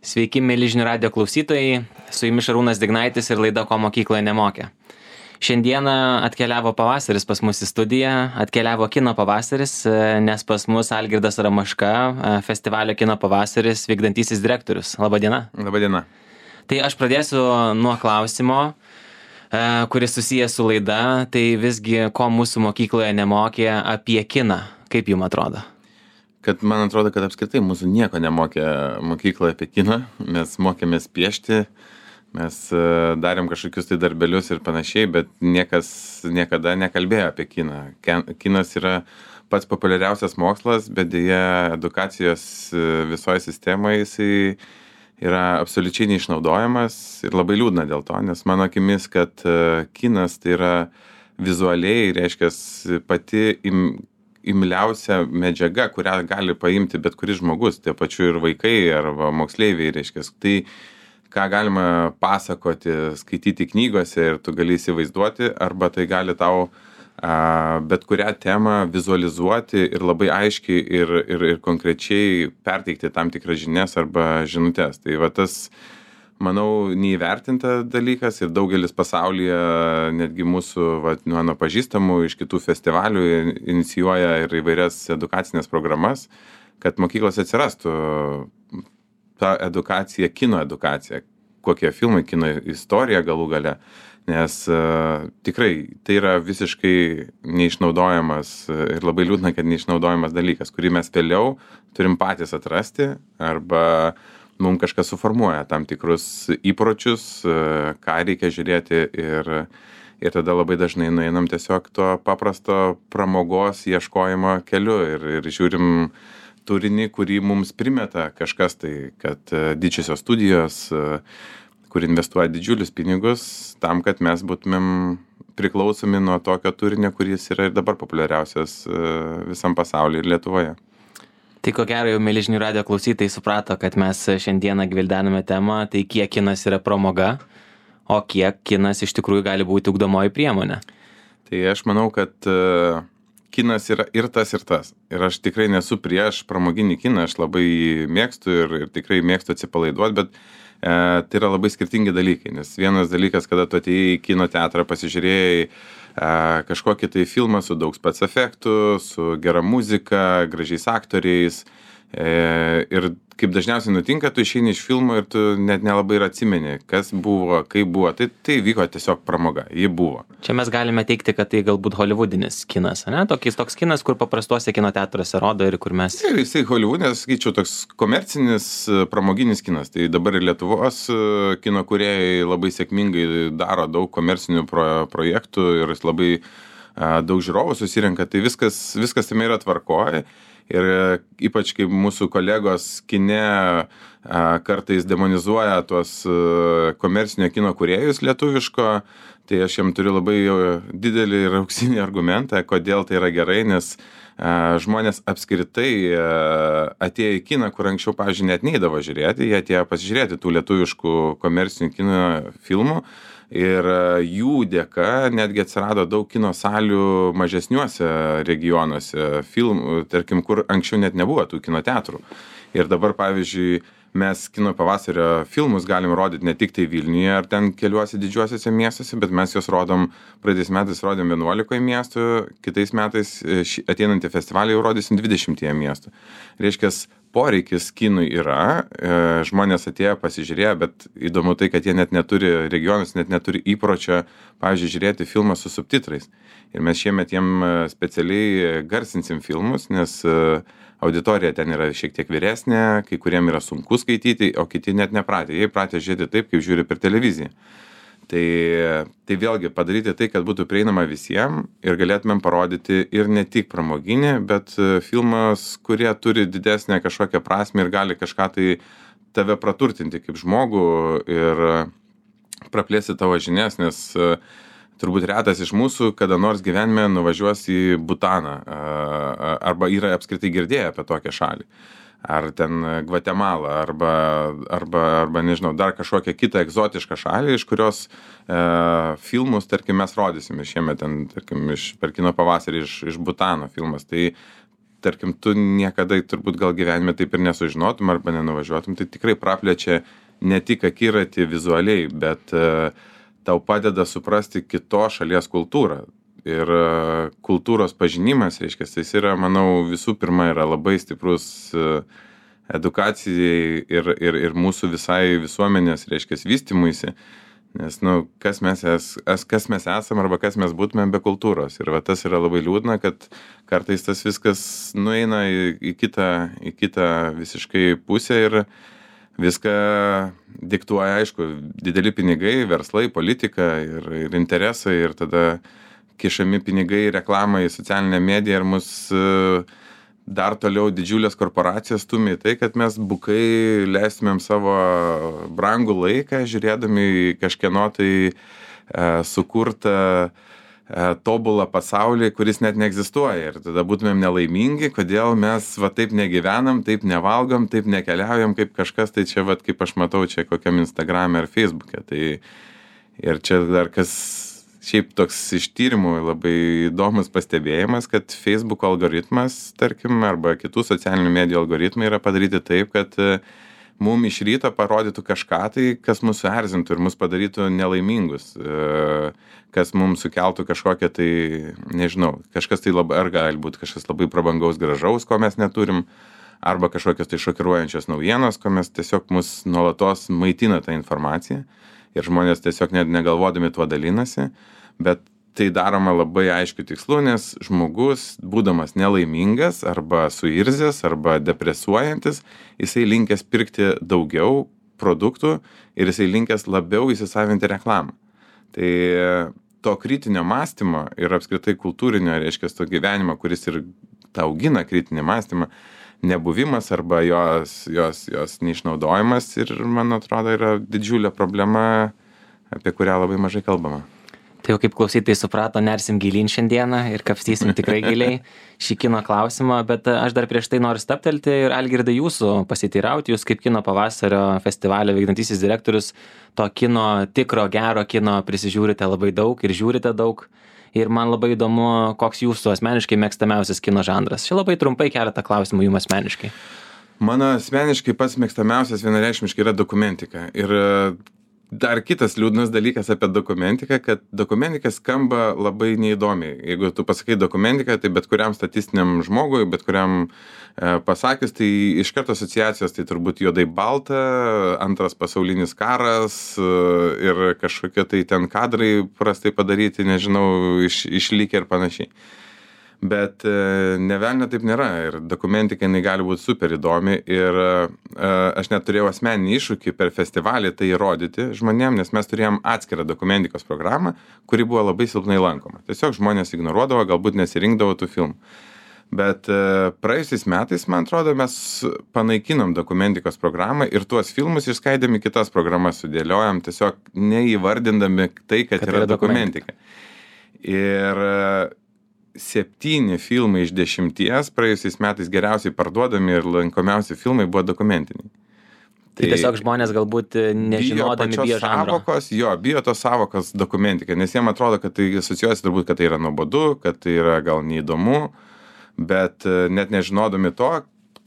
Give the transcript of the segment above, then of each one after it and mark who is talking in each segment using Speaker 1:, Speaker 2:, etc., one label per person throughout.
Speaker 1: Sveiki, mėly žinių radijo klausytojai, su jumis Šarūnas Dignaitis ir laida Ko mokykloje nemokė. Šiandieną atkeliavo pavasaris pas mus į studiją, atkeliavo kino pavasaris, nes pas mus Algirdas Ramaška, festivalio kino pavasaris vykdantysis direktorius. Labadiena.
Speaker 2: Labadiena.
Speaker 1: Tai aš pradėsiu nuo klausimo, kuris susijęs su laida, tai visgi ko mūsų mokykloje nemokė apie kiną, kaip jums atrodo?
Speaker 2: Kad man atrodo, kad apskritai mūsų nieko nemokė mokykloje apie kiną, mes mokėmės piešti, mes darėm kažkokius tai darbelius ir panašiai, bet niekas niekada nekalbėjo apie kiną. Kinas yra pats populiariausias mokslas, bet dėja edukacijos visoje sistemoje jisai yra absoliučiai neišnaudojamas ir labai liūdna dėl to, nes mano akimis, kad kinas tai yra vizualiai, reiškia, pati imliausia medžiaga, kurią gali paimti bet kuris žmogus, tie pačiu ir vaikai arba moksleiviai, reiškia. Tai, ką galima pasakoti, skaityti knygose ir tu gali įsivaizduoti, arba tai gali tau bet kurią temą vizualizuoti ir labai aiškiai ir konkrečiai perteikti tam tikras žinias arba žinutes. Tai va tas, manau, neįvertinta dalykas ir daugelis pasaulyje, netgi mūsų, mano pažįstamų iš kitų festivalių inicijuoja ir įvairias edukacinės programas, kad mokyklos atsirastų ta edukacija, kino edukacija, kokie filmai, kino istorija galų gale, nes tikrai tai yra visiškai neišnaudojamas ir labai liūdna, kad neišnaudojamas dalykas, kurį mes vėliau turim patys atrasti arba mums kažkas suformuoja tam tikrus įpročius, ką reikia žiūrėti ir tada labai dažnai nueinam tiesiog to paprasto pramogos ieškojimo keliu ir žiūrim turinį, kurį mums primeta kažkas tai, kad didžiosios studijos, kur investuoja didžiulius pinigus tam, kad mes būtumėm priklausomi nuo tokio turinio, kuris yra ir dabar populiariausias visam pasaulyje ir Lietuvoje.
Speaker 1: Tai ko gero jau mėly žinių radijo klausytojai suprato, kad mes šiandieną gvildename temą, tai kiek kinas yra pramoga, o kiek kinas iš tikrųjų gali būti ugdomoji priemonė.
Speaker 2: Tai aš manau, kad kinas yra ir tas, ir tas. Ir aš tikrai nesu prieš pramoginį kiną, aš labai mėgstu ir tikrai mėgstu atsipalaiduoti, bet tai yra labai skirtingi dalykai. Nes vienas dalykas, kada tu atėjai į kino teatrą, pasižiūrėjai kažkokį tai filmą su daug spec efektų, su gera muzika, gražiais aktoriais. Ir kaip dažniausiai nutinka, tu išeini iš filmo ir tu net nelabai ir atsimeni, kas buvo, kaip buvo. Tai vyko tiesiog pramoga, ji buvo.
Speaker 1: Čia mes galime teikti, kad tai galbūt holivudinis kinas, ne? Toks kinas, kur paprastuose kino teatruose rodo ir kur mes...
Speaker 2: Jisai holivudinės, sakyčiau, toks komercinis, pramoginis kinas. Tai dabar ir Lietuvos kino kūrėjai labai sėkmingai daro daug komercinių projektų ir labai daug žiūrovų susirenka. Tai viskas tame yra tvarkoje. Ir ypač kaip mūsų kolegos kine kartais demonizuoja tuos komercinio kino kūrėjus lietuviško, tai aš jam turiu labai didelį ir auksinį argumentą, kodėl tai yra gerai, nes žmonės apskritai atėjo į kiną, kur anksčiau, pavyzdžiui, net neidavo žiūrėti, jie atėjo pasižiūrėti tų lietuviškų komercinių kino filmų. Ir jų dėka netgi atsirado daug kino salių mažesniuose regionuose, tarkim, kur anksčiau net nebuvo tų kino teatrų. Ir dabar, pavyzdžiui, mes kino pavasario filmus galim rodyti ne tik tai Vilniuje ar ten keliuose didžiuosiuose miestuose, bet mes juos rodom, praeitais metais rodėm 11 miestų, kitais metais ateinantį festivalį jau rodysim 20 miestų. Reiškia, poreikis kinui yra, žmonės atėjo pasižiūrėjo, bet įdomu tai, kad jie net neturi, regionus net neturi įpročio, pavyzdžiui, žiūrėti filmą su subtitrais. Ir mes šiemet jiem specialiai garsinsim filmus, nes auditorija ten yra šiek tiek vyresnė, kai kuriem yra sunku skaityti, o kiti net nepratę. Jie pratę žiūrėti taip, kaip žiūri per televiziją. Tai vėlgi padaryti tai, kad būtų prieinama visiems ir galėtumėm parodyti ir ne tik pramoginį, bet filmas, kurie turi didesnę kažkokią prasmę ir gali kažką tai tave praturtinti kaip žmogų ir praplėsti tavo žinias, nes turbūt retas iš mūsų kada nors gyvenime nuvažiuos į Butaną arba yra apskritai girdėję apie tokią šalį. Ar ten Gvatemalą, arba nežinau, dar kažkokią kitą egzotišką šalį, iš kurios filmus, tarkim, mes rodysim ir šiemet ten, tarkim, per kino pavasarį iš Butano filmas. Tai tarkim, tu niekada turbūt gal gyvenime taip ir nesužinotum arba nenuvažiuotum, tai tikrai praplečia ne tik akiratį vizualiai, bet tau padeda suprasti kitos šalies kultūrą. Ir kultūros pažinimas, reiškia, jis yra, manau, visų pirma yra labai stiprus edukacijai ir mūsų visai visuomenės, reiškia, vystymuisi. Nes, kas mes esam arba kas mes būtumėm be kultūros. Ir va, tas yra labai liūdna, kad kartais tas viskas nueina į kitą visiškai pusę ir viską diktuoja, aišku, dideli pinigai, verslai, politika ir interesai, ir tada kišami pinigai, reklamai, socialinė medija ir mus dar toliau didžiulės korporacijos stumia į tai, kad mes bukai leistumėm savo brangų laiką, žiūrėdami kažkieno tai sukurtą tobulą pasaulį, kuris net neegzistuoja. Ir tada būtumėm nelaimingi, kodėl mes va taip negyvenam, taip nevalgom, taip nekeliaujam, kaip kažkas, tai čia va kaip aš matau čia kokiam Instagram'e ar Facebook'e. Tai ir čia dar kas šiaip toks iš tyrimų labai įdomus pastebėjimas, kad Facebook algoritmas, tarkim, arba kitų socialinių medijų algoritmai yra padaryti taip, kad mum iš ryto parodytų kažką tai, kas mūsų erzintų ir mus padarytų nelaimingus, kas mums sukeltų kažkokią tai, nežinau, kažkas tai labai, ar gali būti kažkas labai prabangaus, gražaus, ko mes neturim, arba kažkokios tai šokiruojančios naujienos, ko mes tiesiog mus nuolatos maitina tą informaciją ir žmonės tiesiog net negalvodami tuo dalinasi. Bet tai daroma labai aiškiu tikslu, nes žmogus, būdamas nelaimingas arba suirzęs arba depresuojantis, jisai linkęs pirkti daugiau produktų ir jisai linkęs labiau įsisavinti reklamą. Tai to kritinio mąstymo ir apskritai kultūrinio, reiškia, to gyvenimo, kuris ir tą augina kritinį mąstymą, nebuvimas arba jos neišnaudojimas ir, man atrodo, yra didžiulė problema, apie kurią labai mažai kalbama.
Speaker 1: Tai jau kaip klausytojai suprato, nersim gilyn šiandieną ir kapstysim tikrai giliai šį kino klausimą, bet aš dar prieš tai noriu stabtelti ir Algirdai jūsų pasiteirauti, jūs kaip kino pavasario festivalio vykdantysis direktorius, to kino, tikro gero kino prisižiūrite labai daug ir žiūrite daug. Ir man labai įdomu, koks jūsų asmeniškai mėgstamiausias kino žanras. Čia labai trumpai keletą klausimų jums asmeniškai.
Speaker 2: Mano asmeniškai pats mėgstamiausias vienareikšmiškai yra dokumentika. Ir dar kitas liūdnas dalykas apie dokumentiką, kad dokumentika skamba labai neįdomiai. Jeigu tu pasakai dokumentiką, tai bet kuriam statistiniam žmogui, bet kuriam pasakius, tai iš karto asociacijos, tai turbūt juodai balta, antras pasaulinis karas ir kažkokie tai ten kadrai prastai padaryti, nežinau, išlikę ir panašiai. Bet ne velnio taip nėra ir dokumentika jinai gali būti super įdomi ir aš net turėjau asmeninį iššūkį per festivalį tai įrodyti žmonėm, nes mes turėjom atskirą dokumentikos programą, kuri buvo labai silpnai lankoma. Tiesiog žmonės ignoruodavo, galbūt nesirinkdavo tų filmų. Bet praėjusiais metais, man atrodo, mes panaikinom dokumentikos programą ir tuos filmus išskaidėm į kitas programas sudėliojom, tiesiog neįvardindami tai, kad yra dokumentika. Ir 7 filmai iš 10 praėjusiais metais geriausiai parduodami ir lankomiausi filmai buvo dokumentiniai.
Speaker 1: Tai tiesiog žmonės galbūt nežinodami bijo žanro.
Speaker 2: Bijo tos savokos dokumentika, nes jiem atrodo, kad tai asocijuojasi turbūt, kad tai yra nuobodu, kad tai yra gal neįdomu, bet net nežinodami to,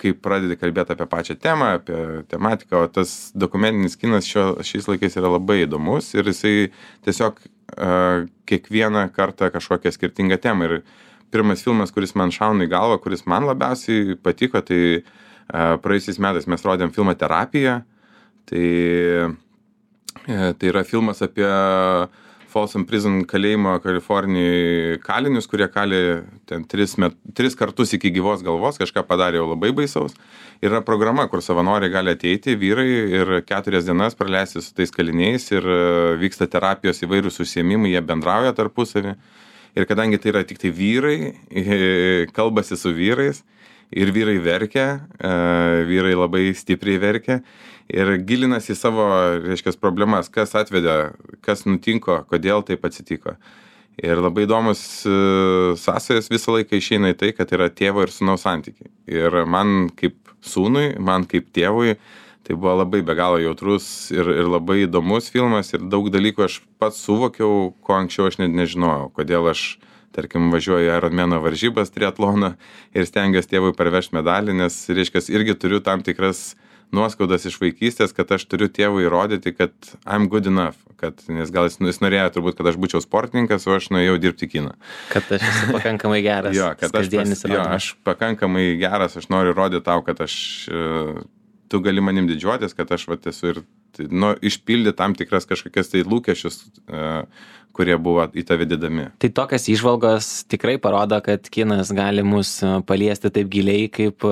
Speaker 2: kai pradedi kalbėti apie pačią temą, apie tematiką, o tas dokumentinis kinas šiais laikais yra labai įdomus ir jisai tiesiog kiekvieną kartą kažkokią skirtingą temą. Ir pirmas filmas, kuris man šauna į galvą, kuris man labiausiai patiko, tai praėjusiais metais mes rodėm filmą Terapija. Tai yra filmas apie Folsom Prison kalėjimo Kalifornijai kalinius, kurie kali ten 3 kartus iki gyvos galvos, kažką padarė jau labai baisaus. Yra programa, kur savanoriai gali ateiti, vyrai, ir 4 dienas praleisti su tais kaliniais ir vyksta terapijos įvairūs užsiėmimai, jie bendrauja tarpusavį. Ir kadangi tai yra tik tai vyrai, kalbasi su vyrais ir vyrai verkia, vyrai labai stipriai verkia ir gilinasi į savo, reiškia, problemas, kas atvedė, kas nutinko, kodėl taip atsitiko. Ir labai įdomus sąsajas visą laiką išeina į tai, kad yra tėvo ir sūnaus santykiai. Ir man kaip sūnui, man kaip tėvui, tai buvo labai be galo jautrus ir labai įdomus filmas ir daug dalykų aš pats suvokiau, ko anksčiau aš net nežinojau, kodėl aš tarkim, važiuoju į Ironmano varžybas triatlono ir stengiuosi tėvui parvežti medalį, nes, reiškia, irgi turiu tam tikras nuoskaudas iš vaikystės, kad aš turiu tėvui įrodyti, kad I'm good enough, nes gal jis norėjo turbūt, kad aš būčiau sportininkas, o aš nuėjau dirbti į kiną.
Speaker 1: Kad aš esu pakankamai geras.
Speaker 2: Jo, kad aš pakankamai geras, aš noriu rodyti tau, kad tu gali manim didžiuotis, kad aš esu ir išpildyti tam tikras kažkokias tai lūkesčius, kurie buvo į tave dėdami.
Speaker 1: Tai tokias įžvalgos tikrai parodo, kad kinas gali mus paliesti taip giliai, kaip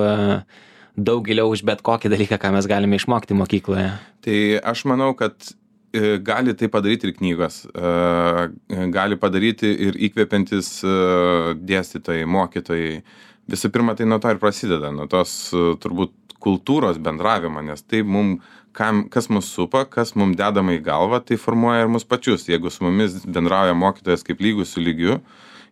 Speaker 1: daug giliau už bet kokį dalyką, ką mes galime išmokti mokykloje.
Speaker 2: Tai aš manau, kad gali tai padaryti ir knygos, gali padaryti ir įkvepiantis dėstytojai, mokytojai. Visų pirma, tai nuo to ir prasideda, nuo tos turbūt kultūros bendravimo, nes tai kas mus supa, kas mums dedama į galvą, tai formuoja ir mus pačius. Jeigu su mumis bendrauja mokytojas kaip lygus su lygiu,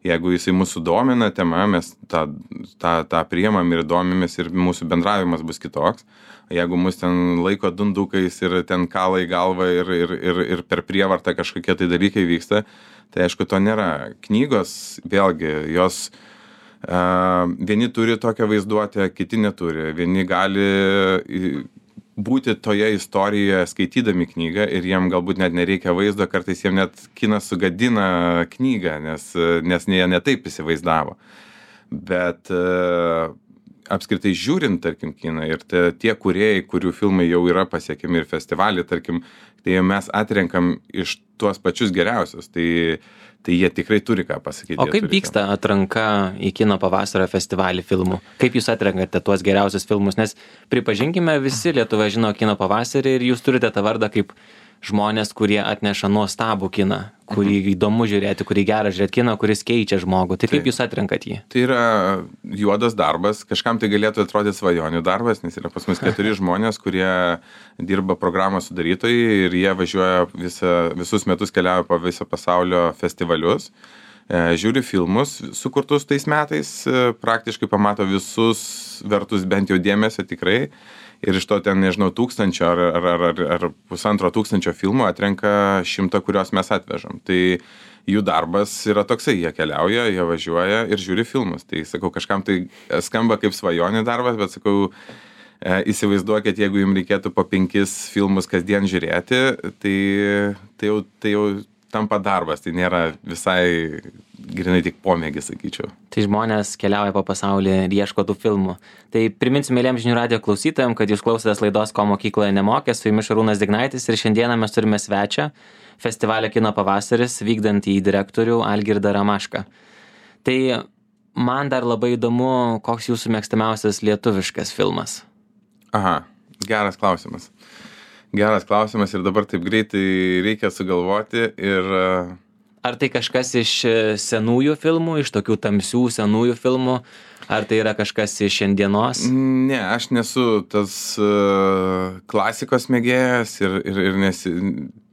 Speaker 2: jeigu jisai mūsų domina tema, mes tą priimam ir domimės ir mūsų bendravimas bus kitoks. Jeigu mus ten laiko dundukais ir ten kala į galvą ir per prievartą kažkokie tai dalykai vyksta, tai aišku, to nėra. Knygos, vėlgi, jos vieni turi tokią vaizduotę, kiti neturi. Vieni gali būti toje istorijoje skaitydami knygą ir jiem galbūt net nereikia vaizdo, kartais jiem net kinas sugadina knygą, nes jie netaip įsivaizdavo. Bet apskritai žiūrint, tarkim, kiną ir tie kūrėjai, kurių filmai jau yra pasiekiami ir festivalį, tarkim, tai mes atrenkam iš tuos pačius geriausius, tai jie tikrai turi ką pasakyti.
Speaker 1: O kaip vyksta atranka į kino pavasario festivalį filmų? Kaip jūs atrenkate tuos geriausius filmus? Nes pripažinkime, visi Lietuvoje žino kino pavasarį ir jūs turite tą vardą kaip žmonės, kurie atneša nuostabų kiną, kurį įdomu žiūrėti, kurį gera žiūrėti kiną, kuris keičia žmogų. Tai kaip jūs atrenkat jį?
Speaker 2: Tai yra juodas darbas, kažkam tai galėtų atrodyti svajonių darbas, nes yra pas mus 4 žmonės, kurie dirba programos sudarytojai ir jie važiuoja visus metus keliauja po visą pasaulio festivalius, žiūri filmus sukurtus tais metais, praktiškai pamato visus vertus bent jau dėmesio tikrai. Ir iš to ten, nežinau, 1000 ar 1500 filmų atrenka 100, kuriuos mes atvežam. Tai jų darbas yra toksai, jie keliauja, jie važiuoja ir žiūri filmus. Tai sakau, kažkam tai skamba kaip svajonių darbas, bet sakau, įsivaizduokit, jeigu jums reikėtų po 5 filmus kasdien žiūrėti, tai jau tampa darbas, tai nėra visai grinai tik pomėgis, sakyčiau.
Speaker 1: Tai žmonės keliauja po pasaulį ir ieško tų filmų. Tai priminsiu mėlyms žinių radijo klausytojams, kad jūs klausotės laidos Ko mokykloje nemokė, su jumis Šarūnas Dignaitis ir šiandieną mes turime svečią, festivalio Kino pavasaris vykdantį direktorių Algirdą Ramašką. Tai man dar labai įdomu, koks jūsų mėgstamiausias lietuviškas filmas?
Speaker 2: Aha, geras klausimas. Geras klausimas ir dabar taip greitai reikia sugalvoti ir...
Speaker 1: Ar tai kažkas iš senųjų filmų, iš tokių tamsių senųjų filmų, ar tai yra kažkas iš šiandienos?
Speaker 2: Ne, aš nesu tas klasikos mėgėjas ir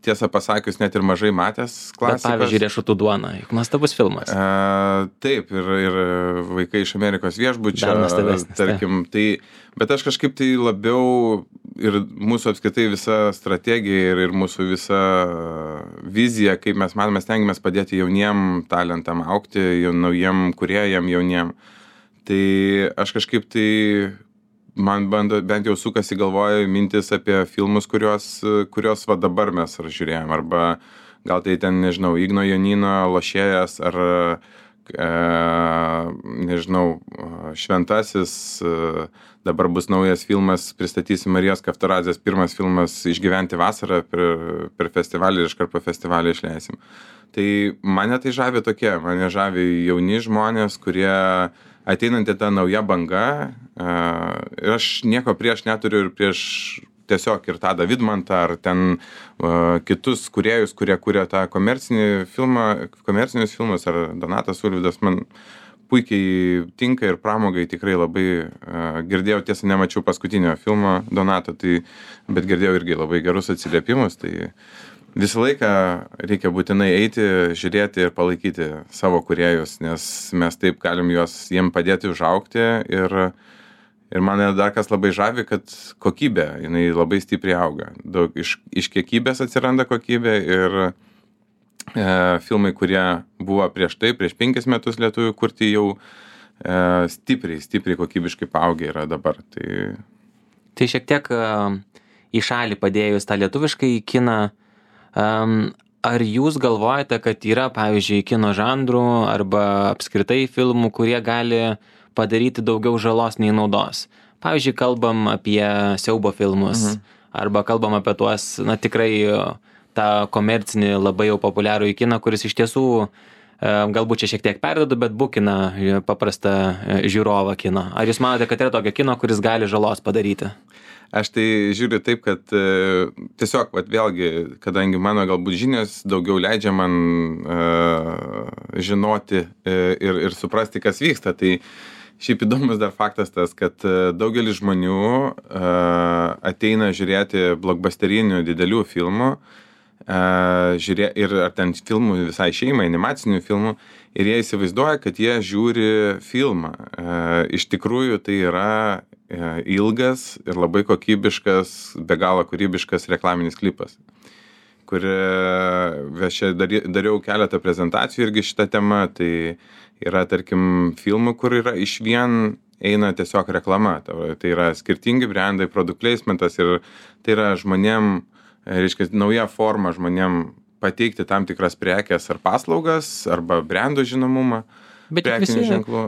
Speaker 2: tiesą pasakius net ir mažai matęs klasikos.
Speaker 1: Bet pavyzdžiui, Riešutų duona, juk nuostabus filmas.
Speaker 2: Taip, ir Vaikai iš Amerikos viešbučio,
Speaker 1: dar nuostabesnis,
Speaker 2: tarkim, bet aš kažkaip tai labiau ir mūsų apskritai visa strategija ir mūsų visa vizija, kaip mes matome, stengiamės padėti jauniem talentam augti, naujiem kūrėjam jauniem. Tai aš kažkaip tai, man bent jau sukasi galvoje mintis apie filmus, kurios va dabar mes žiūrėjom, arba gal tai ten, nežinau, Igno Jonino Lošėjas, ar nežinau, Šventasis, dabar bus naujas filmas, pristatysim Marijos Kaftaradzės pirmas filmas Išgyventi vasarą per festivalį ir iškart po festivalį išleisim. Tai mane tai žavi mane žavi jauni žmonės, kurie ateinanti ta nauja banga, ir aš nieko prieš neturiu ir prieš tiesiog ir Tadą Vidmantą ar ten kitus kūrėjus, kurie kuria tą komercinius filmus, ar Donatas Ulvydas, man puikiai tinka ir pramogai tikrai labai girdėjau, tiesa nemačiau paskutinio filmo Donato, bet girdėjau irgi labai gerus atsiliepimus, tai visą laiką reikia būtinai eiti, žiūrėti ir palaikyti savo kūrėjus, nes mes taip galim jiem padėti užaugti ir mane dar kas labai žavi, kad kokybė, jinai labai stipriai auga. Daug iš kiekybės atsiranda kokybė ir filmai, kurie buvo prieš 5 metus lietuvių kurti, jau stipriai kokybiškai paaugę yra dabar.
Speaker 1: Tai šiek tiek į šalį padėjus tą lietuviškai kiną, ar jūs galvojate, kad yra, pavyzdžiui, kino žanrų arba apskritai filmų, kurie gali padaryti daugiau žalos nei naudos? Pavyzdžiui, kalbam apie siaubo filmus, arba kalbam apie tuos, tikrai tą komercinį labai jau populiarų į kiną, kuris iš tiesų galbūt čia šiek tiek perdedu, bet bukina paprastą žiūrovą kino. Ar jūs manote, kad yra tokio kino, kuris gali žalos padaryti?
Speaker 2: Aš tai žiūriu taip, kad tiesiog, vėlgi, kadangi mano galbūt žinios daugiau leidžia man žinoti ir suprasti, kas vyksta, tai šiaip įdomus dar faktas tas, kad daugelis žmonių ateina žiūrėti blockbusterinių didelių filmų, ir ar ten filmų visai šeimai, animacinių filmų, ir jie įsivaizduoja, kad jie žiūri filmą. Iš tikrųjų tai yra ilgas ir labai kokybiškas, be galo kūrybiškas reklaminis klipas, kur aš dariau keletą prezentacijų irgi šitą temą. Tai yra, tarkim, filmų, kur yra iš vien eina tiesiog reklama. Tai yra skirtingi brandai, product placementas, ir tai yra žmonėm, reiškia, nauja forma žmonėm pateikti tam tikras prekes ar paslaugas, arba brandų žinomumą.
Speaker 1: Bet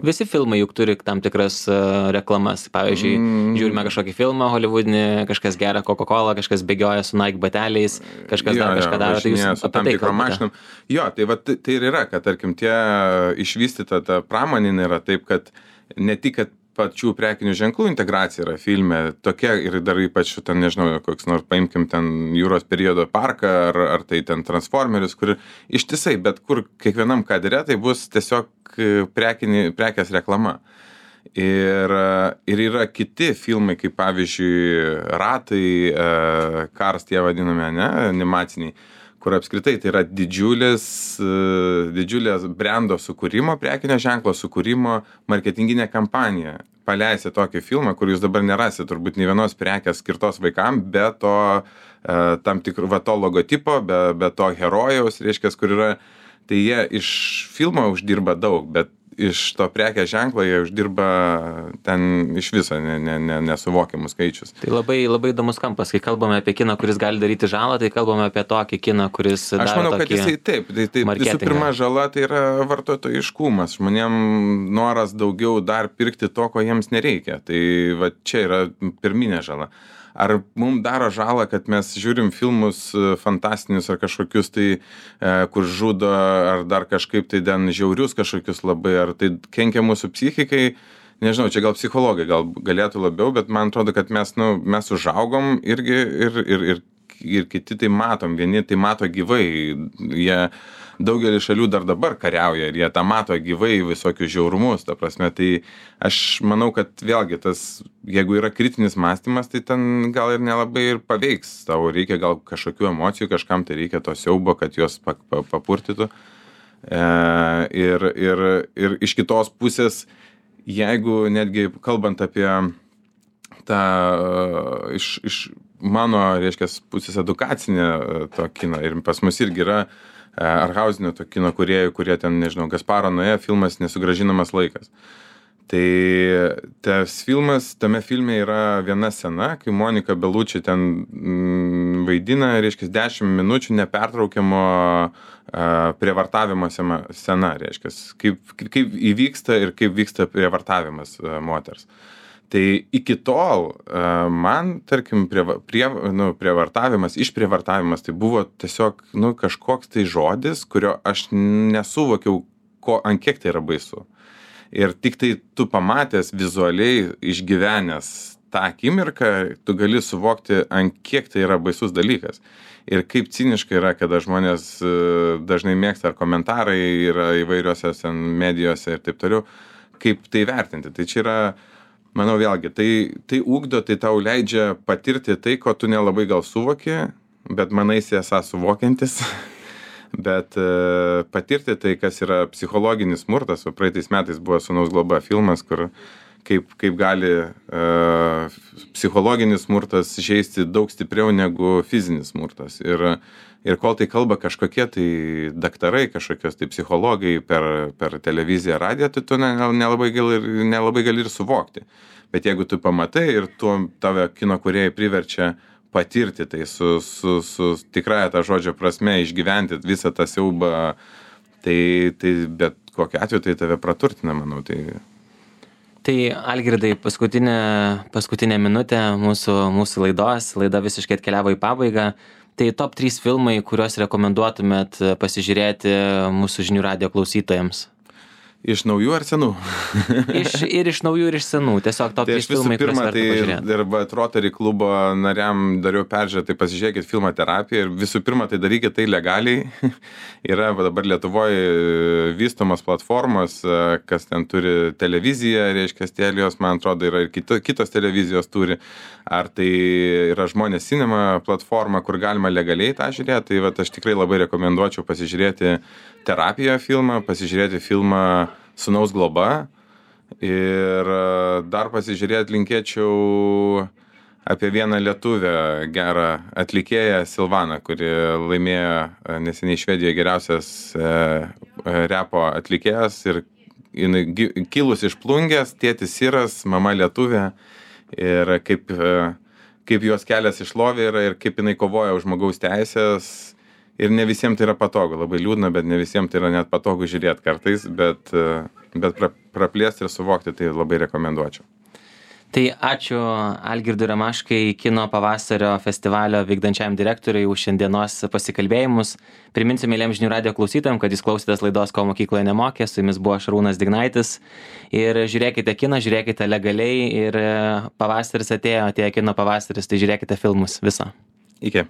Speaker 1: visi filmai juk turi tam tikras reklamas. Pavyzdžiui, žiūrime kažkokį filmą hollywoodinį, kažkas geria Coca-Cola, kažkas bėgioja su Nike bateliais, kažkas dar kažką daro. Tai jūs
Speaker 2: su tam tikrom mašinom. Jo, tai ir yra, kad, tarkim, tie išvystyta ta pramoninė yra taip, kad ne tik, kad pačių prekinių ženklų integracija yra filme tokia, ir dar ypač ten, nežinau, koks nors paimkim ten Jūros periodo parką, ar tai ten Transformerius, kur ištisai, bet kur kiekvienam kadre tai bus tiesiog prekės reklama. Ir yra kiti filmai, kaip pavyzdžiui Ratai, Cars tie vadinami, animaciniai, kur apskritai tai yra didžiulės brando sukūrimo, prekinio ženklo sukūrimo marketinginė kampanija. Paleisite tokį filmą, kur jūs dabar nerasit turbūt nei vienos prekės skirtos vaikam, be to tam tikrų to logotipo, be to herojaus, reiškia, kur yra, tai jie iš filmo uždirba daug, bet iš to prekės ženklo jie uždirba ten iš viso nesuvokiamus skaičius.
Speaker 1: Tai labai įdomus kampas, kai kalbame apie kiną, kuris gali daryti žalą, tai kalbame apie tokį kiną, kuris daro tokį
Speaker 2: marketingą. Aš manau, kad jisai taip, tai visų pirma žala tai yra vartotojiškumas, žmonėm noras daugiau dar pirkti to, ko jiems nereikia, tai va čia yra pirminė žala. Ar mums daro žalą, kad mes žiūrim filmus fantastinius ar kažkokius tai, kur žudo, ar dar kažkaip tai den žiaurius kažkokius labai, ar tai kenkia mūsų psichikai? Nežinau, čia gal psichologai gal galėtų labiau, bet man atrodo, kad mes užaugom irgi ir kiti tai matom, vieni tai mato gyvai, jie daugelį šalių dar dabar kariauja ir jie tą mato gyvai visokius žiaurumus, ta prasme, tai aš manau, kad vėlgi tas, jeigu yra kritinis mąstymas, tai ten gal ir nelabai ir paveiks, tau reikia gal kažkokių emocijų, kažkam tai reikia to siaubo, kad juos papurtytų. Ir iš kitos pusės, jeigu netgi kalbant apie tą iš mano, reiškia, pusės edukacinę to kiną, ir pas mus irgi yra arhauzinio to kino kūrėjų, kurie ten, nežinau, Gasparo Noé filmas Nesugrąžinamas laikas. Tai tame filme yra viena scena, kai Monika Bellucci ten vaidina, reiškia, 10 minučių nepertraukiamo prievartavimo scena, reiškia, kaip įvyksta ir kaip vyksta prievartavimas moters. Tai iki tol man, tarkim, išprievartavimas tai buvo tiesiog kažkoks tai žodis, kurio aš nesuvokiau, ant kiek tai yra baisu. Ir tik tai tu pamatęs vizualiai išgyvenęs tą akimirką, tu gali suvokti, ant kiek tai yra baisus dalykas. Ir kaip ciniškai yra, kada žmonės dažnai mėgsta, ar komentarai yra įvairiose medijose ir taip toliau, kaip tai vertinti. Tai čia yra, manau, vėlgi, tai ugdo, tai tau leidžia patirti tai, ko tu nelabai gal suvoki, bet manaisi esą suvokiantis, bet patirti tai, kas yra psichologinis smurtas. O praeitais metais buvo Sūnaus globa filmas, kur kaip gali psichologinis smurtas žeisti daug stipriau negu fizinis smurtas. Ir kol tai kalba kažkokie tai daktarai, kažkokios tai psichologai per televiziją, radiją, tai tu nelabai gali ir suvokti. Bet jeigu tu pamatai ir tave kino kūrėjai priverčia patirti tai su tikrąja ta žodžio prasme, išgyventi visą tą siaubą, tai bet kokiu atveju tai tave praturtina, manau.
Speaker 1: Tai Algirdai, paskutinė minutė mūsų laidos, laida visiškai atkeliavo į pabaigą. Tai top 3 filmai, kuriuos rekomenduotumėt pasižiūrėti mūsų žinių radijo klausytojams?
Speaker 2: Iš naujų ar senų?
Speaker 1: Ir iš naujų, ir iš senų. Tiesiog top 3 filmai, kuriuos verta pažiūrėti.
Speaker 2: Tai ir Rotary klubo nariam dariau peržiūrę, tai pasižiūrėkit filmą Terapija ir visų pirma, tai darykit tai legaliai. Yra dabar Lietuvoje vystomas platformos, kas ten turi televiziją, reiškia Telijos, man atrodo, yra ir kitos televizijos turi. Ar tai yra Žmonės Cinema platforma, kur galima legaliai tą žiūrėti. Tai aš tikrai labai rekomenduočiau pasižiūrėti Terapiją filmą, pasižiūrėti filmą Sūnaus globa ir dar pasižiūrėti linkėčiau apie vieną lietuvę gerą atlikėją Silvaną, kuri laimėjo neseniai Švedijoje geriausias repo atlikėjas ir kilus iš Plungės, tėtis Siras, mama lietuvė ir kaip jos kelias į šlovę yra ir kaip jinai kovoja už žmogaus teisės. Ir ne visiems tai yra patogu, labai liūdna, bet ne visiems tai yra net patogu žiūrėti kartais, bet praplėsti ir suvokti tai labai rekomenduočiau.
Speaker 1: Tai ačiū Algirdui Ramaškai, Kino pavasario festivalio vykdančiam direktoriui už šiandienos pasikalbėjimus. Priminsiu mėlyjams žinių radijo klausytojams, kad jūs klausėtės laidos Ko mokykloje nemokė, su jumis buvo Šarūnas Dignaitis. Ir žiūrėkite kiną, žiūrėkite legaliai ir pavasaris atėjo Kino pavasaris, tai žiūrėkite filmus visą.
Speaker 2: Iki.